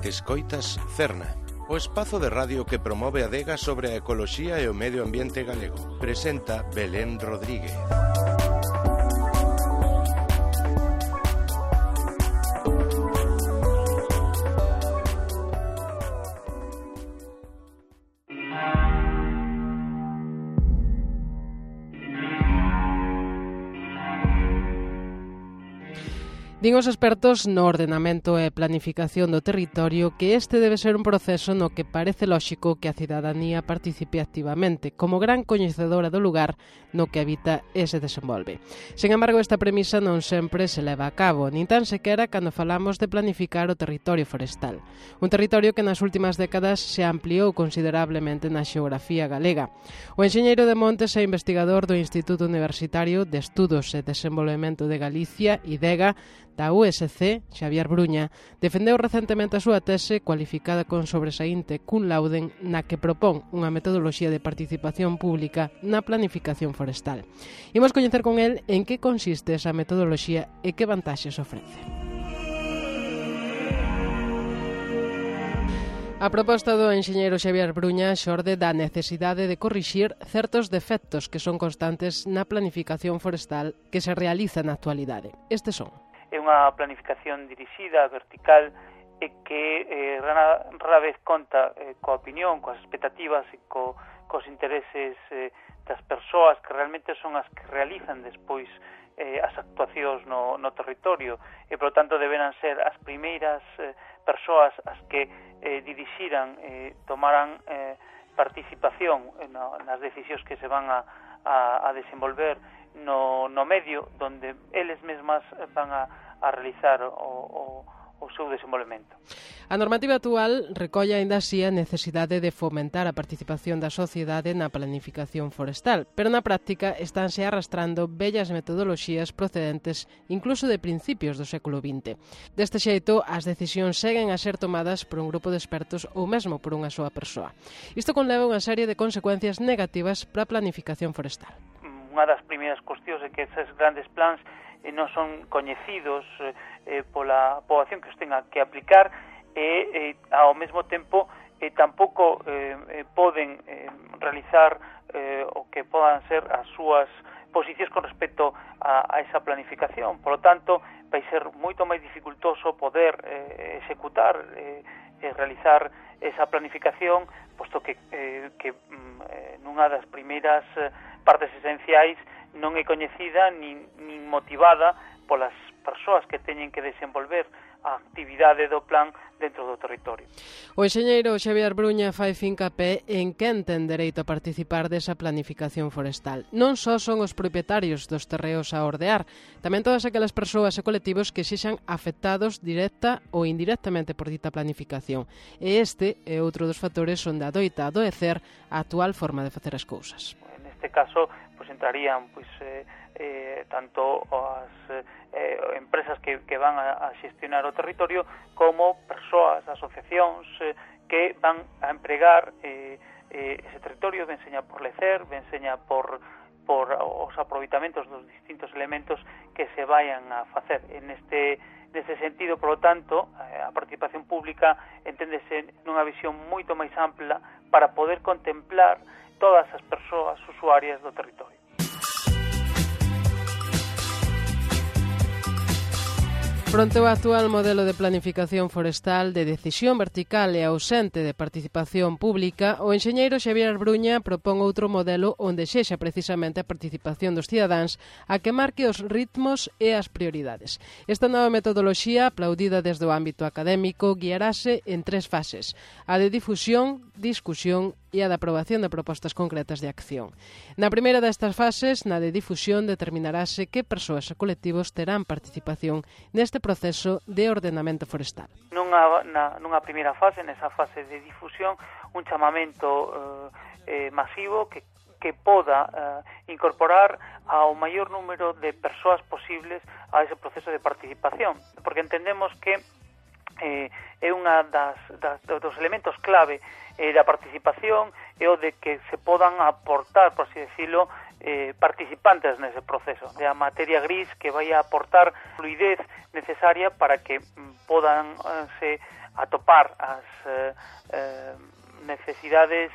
Escoitas Cerna, o espazo de radio que promove a adega sobre a ecoloxía e o medio ambiente galego. Presenta Belén Rodríguez. Din os expertos no ordenamento e planificación do territorio que este debe ser un proceso no que parece lóxico que a cidadanía participe activamente, como gran coñecedora do lugar no que habita e se desenvolve. Sen embargo, esta premisa non sempre se leva a cabo, nin tan sequera cando falamos de planificar o territorio forestal. Un territorio que nas últimas décadas se ampliou considerablemente na xeografía galega. O enxeñeiro de montes e investigador do Instituto Universitario de Estudos e Desenvolvemento de Galicia, IDEGA, da USC, Xavier Bruña, defendeu recentemente a súa tese cualificada con sobresaínte cum laude na que propón unha metodoloxía de participación pública na planificación forestal. Imos coñecer con el en que consiste esa metodoloxía e que vantaxes ofrece. A proposta do enxeñeiro Xavier Bruña xorde da necesidade de corrixir certos defectos que son constantes na planificación forestal que se realiza na actualidade. Estes son: é unha planificación dirixida, vertical, e que rara vez conta coa opinión, coas expectativas e cos intereses das persoas que realmente son as que realizan despois as actuacións no territorio e, por tanto, deberán ser as primeiras persoas as que dirixiran, tomaran participación nas decisións que se van a desenvolver no medio donde eles mesmas van a realizar o seu desenvolvemento. A normativa actual recolle aínda así a necesidade de fomentar a participación da sociedade na planificación forestal, pero na práctica estánse arrastrando vellas metodoloxías procedentes incluso de principios do século XX. Deste xeito, as decisións seguen a ser tomadas por un grupo de expertos ou mesmo por unha soa persoa. Isto conleva unha serie de consecuencias negativas para a planificación forestal. Unha das primeiras cuestións é que esos grandes plans non son coñecidos pola poboación que os tenga que aplicar e ao mesmo tempo tampouco poden realizar o que podan ser as súas posicións con respecto a esa planificación. Por lo tanto, vai ser moito máis dificultoso poder executar e realizar esa planificación, posto que nunha das primeiras partes esenciais non é coñecida nin motivada polas persoas que teñen que desenvolver a actividade do plan dentro do territorio. O enxeñeiro Xavier Bruña fai fincapé en quen ten dereito a participar desa planificación forestal. Non só son os propietarios dos terreos a ordear, tamén todas aquelas persoas e colectivos que sexan afectados directa ou indirectamente por dita planificación. E este é outro dos factores onde adoita adoecer a actual forma de facer as cousas. Neste caso, entrarían tanto as empresas que van a xestionar o territorio como persoas, asociacións que van a empregar ese territorio, ben seña por lecer, ben seña por os aproveitamentos dos distintos elementos que se vayan a facer. Neste sentido, por lo tanto, a participación pública enténdese nunha visión moito máis ampla para poder contemplar todas as persoas usuarias do territorio. Fronte ao actual modelo de planificación forestal de decisión vertical e ausente de participación pública, o enxeñeiro Xavier Bruña propón outro modelo onde sexa precisamente a participación dos cidadáns a que marque os ritmos e as prioridades. Esta nova metodoloxía, aplaudida desde o ámbito académico, guiarase en 3 fases: a de difusión, discusión e a de aprobación de propostas concretas de acción. Na primeira destas fases, na de difusión, determinarase que persoas e colectivos terán participación neste proceso de ordenamento forestal. Nunha primeira fase, nesa fase de difusión, un chamamento masivo que poda incorporar ao maior número de persoas posibles a ese proceso de participación, porque entendemos que é unha dos elementos clave da participación é o de que se podan aportar, por así decirlo, participantes nese proceso, de a materia gris que vai a aportar fluidez necesaria para que podan se atopar as necesidades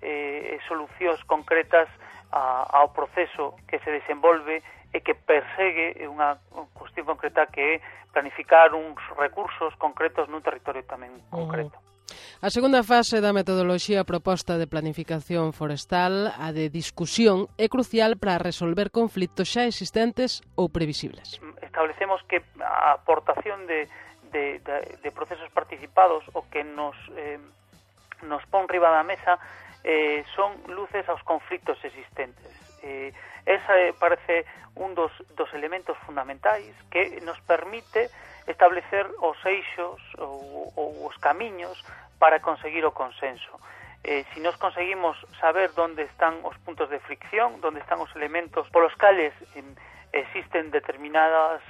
e solucións concretas ao proceso que se desenvolve e que persegue unha cuestión concreta que é planificar uns recursos concretos nun territorio tamén concreto. A segunda fase da metodoloxía proposta de planificación forestal, a de discusión, é crucial para resolver conflitos xa existentes ou previsibles. Establecemos que a aportación de procesos participados o que nos pon riba da mesa son luces aos conflitos existentes. Esa parece un dos elementos fundamentais que nos permite establecer os eixos ou os camiños para conseguir o consenso. Si nos conseguimos saber onde están os puntos de fricción, onde están os elementos polos cales existen determinadas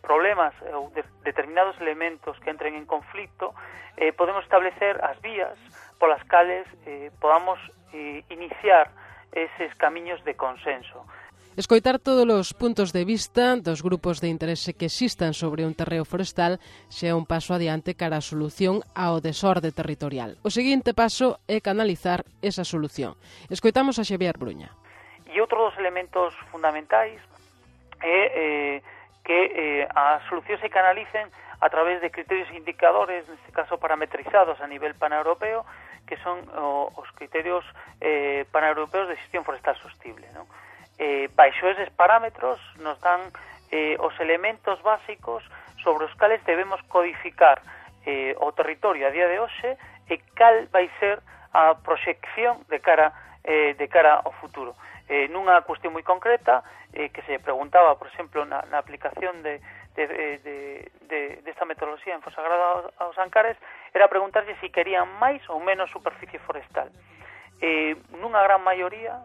problemas ou determinados elementos que entren en conflito, podemos establecer as vías polas cales podamos iniciar eses camiños de consenso. Escoitar todos os puntos de vista dos grupos de interese que existan sobre un terreo forestal xa é un paso adiante cara a solución ao desorde territorial. O seguinte paso é canalizar esa solución. Escoitamos a Xavier Bruña. E outro dos elementos fundamentais é que as solucións se canalicen a través de criterios e indicadores, neste caso parametrizados a nivel paneuropeo, que son os criterios paneuropeos de xestión forestal sostible, non? Baixo eses parámetros nos dan os elementos básicos sobre os cales debemos codificar o territorio a día de hoxe e cal vai ser a proxección de cara ao futuro. Nunha cuestión moi concreta que se preguntaba, por exemplo, na aplicación desta metodoloxía en Fonsagrada aos Ancares, era preguntarse se querían máis ou menos superficie forestal. Nunha gran maioría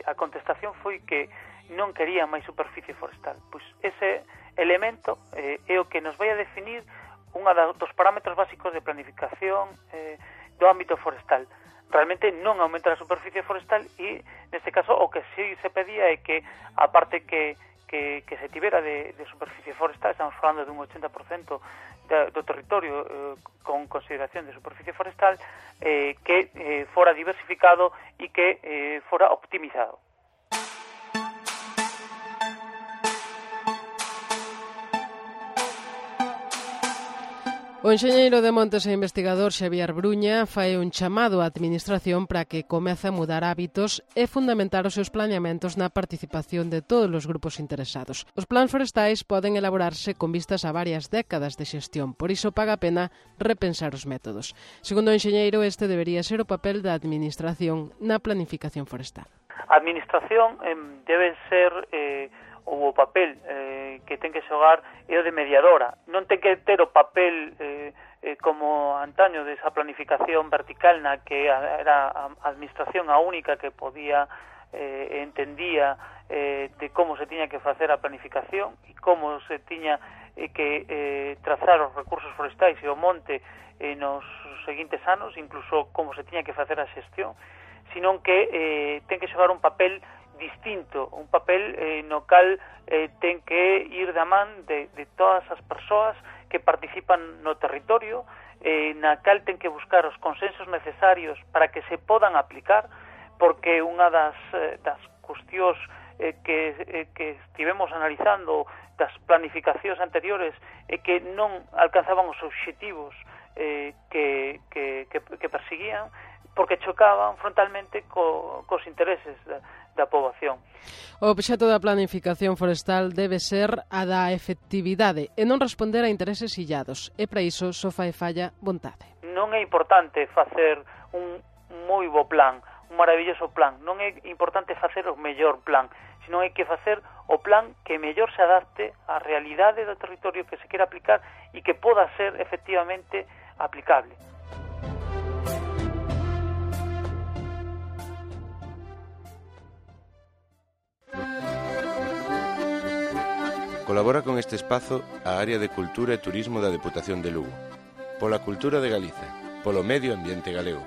a contestación foi que non querían máis superficie forestal. Pois ese elemento é o que nos vai a definir unha dos parámetros básicos de planificación do ámbito forestal. Realmente non aumenta a superficie forestal e, neste caso, o que sí se pedía é que, a parte que se tivera de superficie forestal, estamos falando dun 80% do territorio con consideración de superficie forestal, que fora diversificado e que fora optimizado. O enxeñeiro de montes e investigador Xavier Bruña fai un chamado á administración para que comece a mudar hábitos e fundamentar os seus planeamentos na participación de todos os grupos interesados. Os plans forestais poden elaborarse con vistas a varias décadas de xestión, por iso paga a pena repensar os métodos. Segundo o enxeñeiro, este debería ser o papel da administración na planificación forestal. A administración debe ser ou o papel que ten que xogar é o de mediadora. Non ten que ter o papel como antaño desa planificación vertical na que era a administración a única que podía entendía de como se tiña que facer a planificación e como se tiña que trazar os recursos forestais e o monte nos seguintes anos, incluso como se tiña que facer a xestión, senón que ten que xogar un papel distinto, un papel no cal ten que ir da man de todas as persoas que participan no territorio, na cal ten que buscar os consensos necesarios para que se podan aplicar, porque unha das cuestións que estivemos analizando das planificacións anteriores é que non alcanzaban os obxectivos que perseguían, porque chocaban frontalmente cos intereses da poboación. O obxecto da planificación forestal debe ser a da efectividade e non responder a intereses illados, e para iso só fai falla vontade. Non é importante facer un moi bo plan, un maravilloso plan, non é importante facer o mellor plan, senón hai que facer o plan que mellor se adapte á realidade do territorio que se quera aplicar e que poda ser efectivamente aplicable. Colabora con este espazo a Área de Cultura e Turismo da Deputación de Lugo, pola cultura de Galiza, polo medio ambiente galego.